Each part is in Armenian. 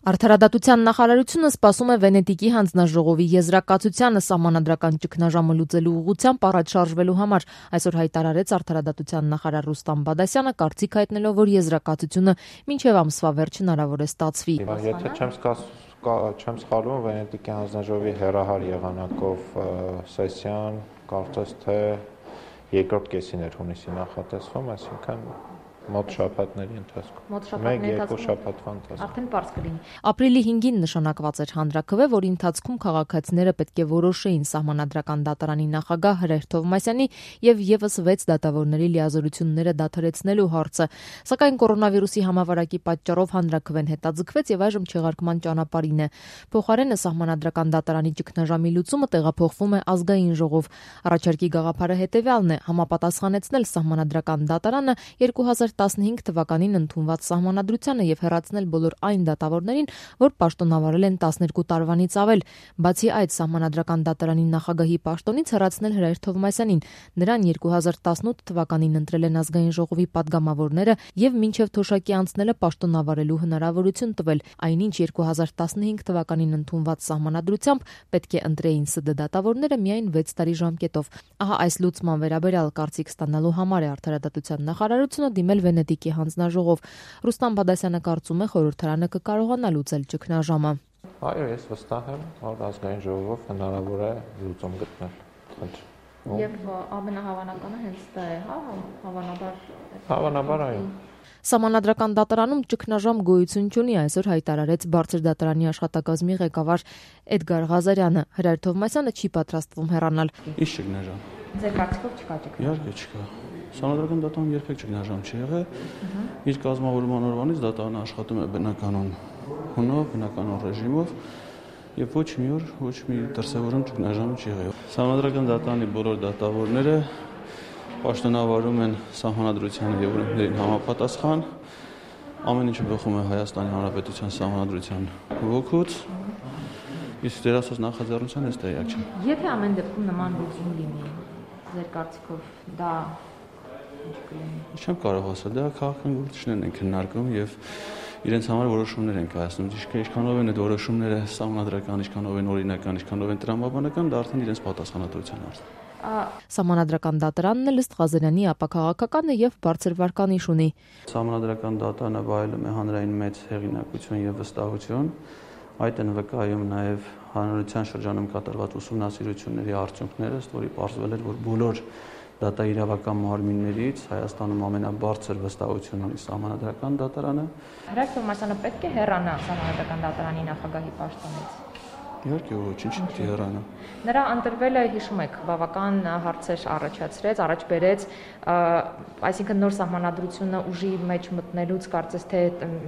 Արդարադատության նախարարությունը սպասում է Վենետիկի հանձնաժողովի եզրակացությանը սահմանադրական ճգնաժամը լուծելու ուղղությամբ առաջ շարժվելու համար։ Այսօր հայտարարեց արդարադատության նախարար Ռուստամ Բադասյանը, կարծիք հայտնելով, որ եզրակացությունը մինչև ամսվա վերջ հնարավոր է ստացվի։ Եթե չեմ սխալվում, Վենետիկի հանձնաժողովի հեռահար եղանակով սեսիան կարծես թե երկրորդ կեսին էր հունիսի նախատեսվում, այսինքն մոտ շաբաթների ընթացքում։ Մեկ-երկու շաբաթվա ընթացքում։ Արդեն պարզ կլինի։ Ապրիլի 5-ին նշանակված էր հանրաքվե, որի ընթացքում քաղաքացիները պետք է որոշեին սահմանադրական դատարանի նախագահ Հրեր Թովմասյանի եւ եւս 6 դատավորների լիազորությունները դադարեցնելու հարցը։ Սակայն կորոնավիրուսի համավարակի պատճառով հանրաքվեն հետաձգվեց եւ այժմ չեղարկման ճանապարհին է։ Փոխարենը սահմանադրական դատարանի ճգնաժամի լուծումը տեղափոխվում է ազգային ժողով։ Առաջարկի գաղափարը հետեւյալն է՝ համապատասխանեցնել սահմանադրական դատարանը 2015 թվականին ընդունված սահմանադրությանը եւ հեռացնել բոլոր այն դատավորներին, որ պաշտոնավարել են 12 տարվանից ավել։ Բացի այդ, սահմանադրական դատարանի նախագահի պաշտոնից հեռացնել Հրեր Թովմասյանին։ Նրան 2018 թվականին ընտրել են ազգային ժողովի падգամավորները եւ մինչեւ թոշակի անցնելը պաշտոնավարելու հնարավորություն տվել, այնինչ 2015 թվականին ընդունված սահմանադրությամբ պետք է ընտրեին ՍԴ դատավորները միայն 6 տարի ժամկետով։ Ահա այս լուծման վերաբերյալ կարծիք ստանալու համար է արդարադատության նախարարությունը դիմել Վենետիկի հանձնաժողով։ Ռուստամ Բադասյանը կարծում է, խորհրդարանը կկարողանա լուծել ճգնաժամը։ Այո, ես վստահ եմ, որ ազգային ժողովով հնարավոր է լուծում գտնել։ Եվ ամենահավանականը հենց դա է, հա, Հավանաբար այո։ Սահմանադրական դատարանում ճգնաժամ գոյություն չունի, այսօր հայտարարեց բարձր դատարանի աշխատակազմի ղեկավար Էդգար Ղազարյանը։ Հրեր Թովմասյանը չի պատրաստվում հեռանալ։ Ինչ ճգնաժամ։ Ձեր կարծիքով չկա ճգնաժամ։ Իհարկե չկա։ Սահմանադրական դատարանում երբեք ճգնաժամ չի եղել։ Իր կազմավորման օրվանից դատարանը աշխատում է բնականon հունով, բնականon ռեժիմով եւ ոչ մի օր ոչ մի դրսեւորում ճգնաժամ չի եղել։ Սահմանադրական դատարանի բոլոր դատավորները պաշտոնավարում են սահմանադրությանը եւ օրենքներին համապատասխան։ Ամեն ինչը բխում է Հայաստանի Հանրապետության սահմանադրության ոգուց։ Իսկ դեր ասած նախաձեռնության ես տեղյակ չեմ։ Եթե ամեն դեպքում նման լուծում լինի, ձեր կարծիքով դա ինչ կլինի։ Չեմ կարող ասել, դա քաղաքական գործիչներն են քննարկում եւ իրենց համար որոշումներ են կայացնում։ Ինչքանով են այդ որոշումները սահմանադրական, ինչքանով են օրինական, ինչքանով են տրամաբանական, դա արդեն իրենց պատասխանատվության հարց է։ Սահմանադրական դատարանն ըստ Ղազարյանի ապակաղակական է եւ բարձր վարկանիշ ունի։ Սահմանադրական դատարանը վայելում է հանրային մեծ հեղինակություն եւ վստահություն։ Այդ են վկայում նաեւ հանրության շրջանում կատարված ուսումնասիրությունների արդյունքները, ըստ որի պարզվել էր, որ բոլոր դատաիրավական մարմիններից Հայաստանում ամենաբարձր վստահություն ունի սահմանադրական դատարանը։ Հրեր Թովմասյանը պետք է հեռանա սահմանադրական դատարանի նախագահի պաշտոնից։ Իհարկե ոչ, ինչ չի հեռանա։ Նրա ընտրվելը, հիշում եք, բավական հարցեր առաջացրեց, առաջ բերեց, այսինքն նոր սահմանադրությունը ուժի մեջ մտնելուց կարծես թե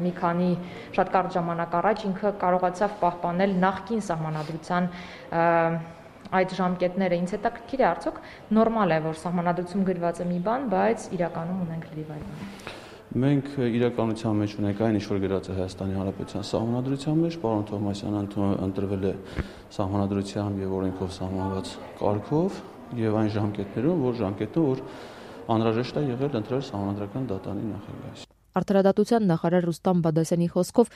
մի քանի շատ կարճ ժամանակ առաջ ինքը կարողացավ պահպանել նախկին սահմանադրության այդ ժամկետները։ Ինձ հետաքրքիր է, արդյոք նորմալ է, որ սահմանադրություն գրված է մի բան, բայց իրականում ունենք լրիվ այլ բան։ Մենք իրականության մեջ ունենք այն, ինչ որ գրած է Հայաստանի Հանրապետության սահմանադրության մեջ, պարոն Թովմասյանը ընտրվել է սահմանադրությամբ եւ օրենքով սահմանված կարգով եւ այն ժամկետներում, որ անհրաժեշտ է եղել ընտրել սահմանադրական դատարանի նախագահ։ Արդարադատության նախարար Ռուստամ Բադասյանի խոսքով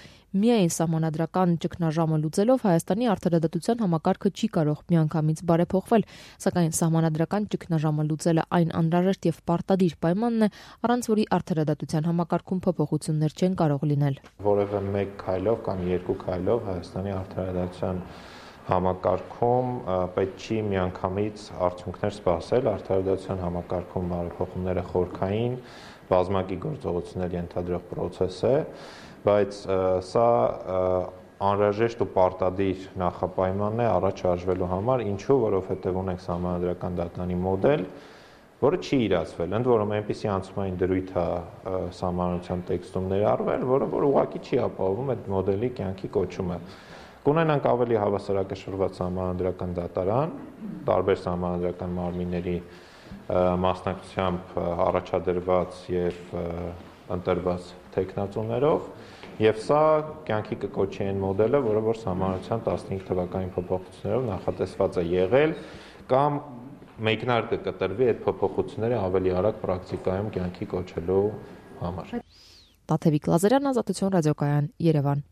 միայն սահմանադրական ճգնաժամը լուծելով Հայաստանի արդարադատության համակարգը չի կարող միանգամից բարեփոխվել, սակայն սահմանադրական ճգնաժամը լուծելը այն անհրաժեշտ եւ պարտադիր պայմանն է, առանց որի արդարադատության համակարգում փոփոխություններ չեն կարող լինել։ Որևէ մեկ քայլով կամ երկու քայլով Հայաստանի արդարադատության համակարգում պետք չի միանգամից արդյունքներ սպասել, արդարադատության համակարգում բարեփոխումները խորքային բազմակի գործողություններ ենթադրող process է, բայց սա անհրաժեշտ ու պարտադիր նախապայմանն է առաջ շարժվելու համար, ինչու, որովհետև ունենք սահմանադրական դատարանի մոդել, որը չի իրացվել, ընդ որում այնպիսի անցումային դրույթ է սահմանադրության տեքստում ներառվել, որը ուղղակի չի ապահովում այդ մոդելի կյանքի կոչումը։ Կունենանք ավելի հավասարակշռված սահմանադրական դատարան, տարբեր սահմանադրական մարմինների մասնակցությամբ առաջադրված եւ ընտրված տեխնացուներով եւ սա կյանքի կկոչի այն մոդելը, որը որ սահմանադրության 15 թվականի փոփոխություններով նախատեսված է եղել կամ մեկնարկը կտրվի այդ փոփոխությունները ավելի արագ պրակտիկայում կյանքի կոչելու համար։ Տաթևիկ Լազարյան, Ազատություն ռադիոկայան, Երևան։